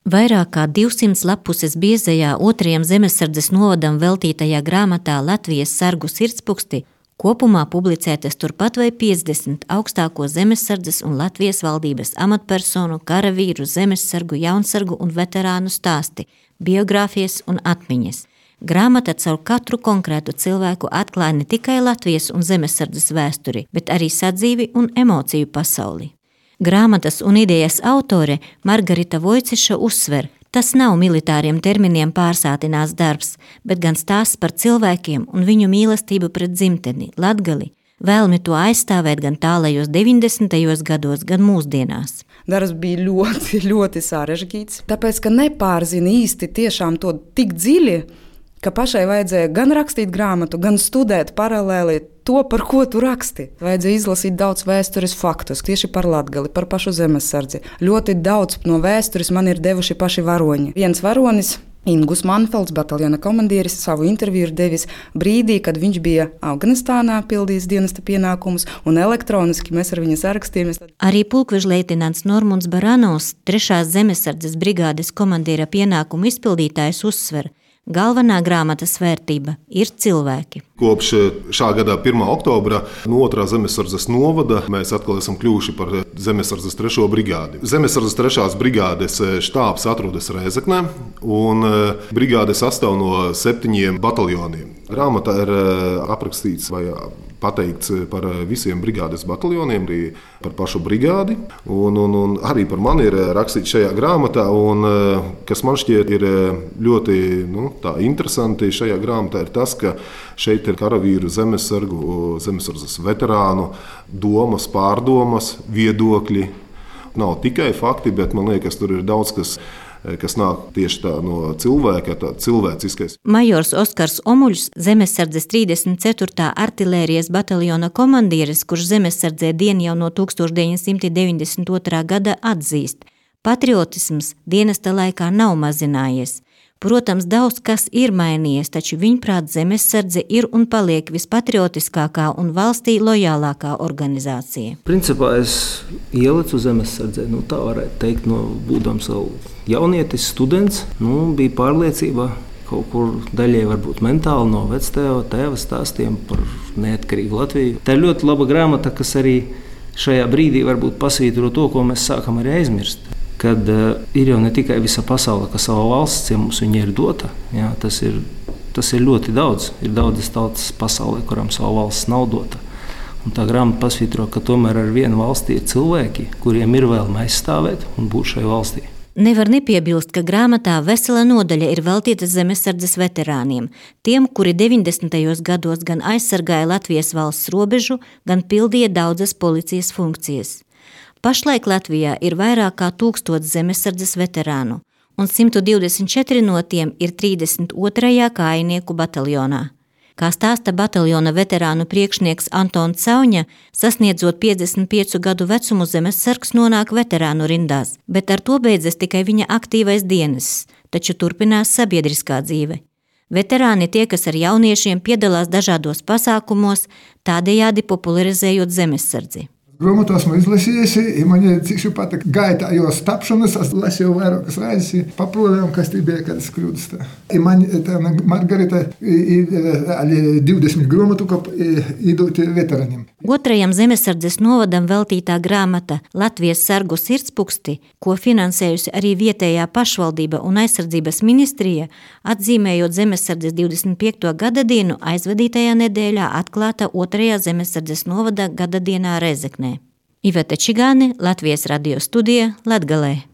Vairāk kā 200 lapuses biezajā 2. zemesardzes novadam veltītajā grāmatā Latvijas sargu sirdspuksti kopumā publicētas turpat vai 50 augstāko zemesardzes un Latvijas valdības amatpersonu, karavīru, zemesargu, jaunsargu un veterānu stāsti, biogrāfijas un atmiņas. Grāmata caur katru konkrētu cilvēku atklāja ne tikai Latvijas un zemesardzes vēsturi, bet arī sadzīvi un emociju pasauli. Grāmatas un idejas autore Margarita Vojciša uzsver, tas nav militāriem terminiem pārsātināts darbs, bet gan stāsts par cilvēkiem un viņu mīlestību pret dzimteni, Latgali, vēlmi to aizstāvēt gan tālajos 90. gados, gan mūsdienās. Darbs bija ļoti, ļoti sarežģīts, tāpēc, ka nepārzina īsti tiešām to tik dziļi, ka pašai vajadzēja gan rakstīt grāmatu, gan studēt paralēli to, par ko tu raksti. Vajadzēja izlasīt daudz vēstures faktus, tieši par Latgali, par pašu zemesardzi. Ļoti daudz no vēstures man ir devuši paši varoņi. Viens varonis, Ingus Manfelds, bataljona komandieris, savu interviju ir devis brīdī, kad viņš bija Afganistānā, pildījis dienesta pienākumus, un elektroniski mēs ar viņu sarakstījāmies. Arī pulkvežleitināns Normunds Baranovs, 3. zemesardzes brigādes komandīra pienākumu izpildītājs uzsver, galvenā grāmatas vērtība ir cilvēki. Kopš šā gada 1. oktobra no 2. zemesardzes novada mēs atkal esam kļuvuši par zemesardzes 3. brigādi. Zemesardzes 3. brigādes štābs atrodas Rēzeknē, un brigāde sastāv no 7 bataljoniem. Grāmatā ir aprakstīts vai pateikts par visiem brigādes bataljoniem, arī par pašu brigādi, un arī par mani ir rakstīts šajā grāmatā, un kas man šķiet ir ļoti interesanti šajā grāmatā ir tas, ka šeit ir karavīru, zemesargu, zemesardzes veterānu domas, pārdomas, viedokļi. Nav tikai fakti, bet man liekas, tur ir daudz kas nāk tieši tā no cilvēka, tā cilvēciskais. Majors Oskars Omuļs, zemesardzes 34. artilērijas bataljona komandieris, kurš zemesardzē dien jau no 1992. gada atzīst, patriotisms dienesta laikā nav mazinājies. Protams, daudz kas ir mainījies, taču viņprāt zemesardze ir un paliek vispatriotiskākā un valstī lojālākā organizācija. Principā es ielicu zemesardzē, tā varētu teikt, būdams vēl jaunietis, students, bija pārliecība kaut kur daļai varbūt mentāli no vectēva stāstiem par neatkarīgu Latviju. Tā ir ļoti laba grāmata, kas arī šajā brīdī varbūt pasvītro to, ko mēs sākam arī aizmirst. Kad ir jau ne tikai visa pasaule, ka sava valsts, ja mums viņa ir dota, jā, tas ir ļoti daudz. Ir daudzas tautas pasaulē, kurām sava valsts nav dota. Un tā grāmata pasvītro, ka tomēr ar vienu valstī ir cilvēki, kuriem ir vēlme aizstāvēt un būt šai valstī. Nevar nepiebilst, ka grāmatā vesela nodaļa ir veltīta zemesardzes veterāniem, tiem, kuri 90. gados gan aizsargāja Latvijas valsts robežu, gan pildīja daudzas policijas funkcijas. Pašlaik Latvijā ir vairāk kā 1000 zemesardzes veterānu, un 124 no tiem ir 32. kājinieku bataljonā. Kā stāsta bataljona veterānu priekšnieks Antons Sauņa, sasniedzot 55 gadu vecumu zemesargs nonāk veterānu rindās, bet ar to beidzas tikai viņa aktīvais dienests, taču turpinās sabiedriskā dzīve. Veterāni tie, kas ar jauniešiem piedalās dažādos pasākumos, tādējādi popularizējot zemesardzi. Grāmatā esmu izlasījusi, man ir cik patīk gaitā jos tapšanas, es lasīju vairākas reizes, pa problēmām, kas tie bija, kad es kļūdas. Man Margarita ir 20 grāmatu, ko iedot veterāniem. 2. zemesardzes novadam veltītā grāmata Latvijas sargu sirdspuksti, ko finansējusi arī vietējā pašvaldība un aizsardzības ministrija, atzīmējot zemesardzes 25. gadadienu, aizvadītajā nedēļā atklāta 2. zemesardzes novada gadadienā Rēzeknē. Iveta Čigāne, Latvijas radio studija, Latgalē.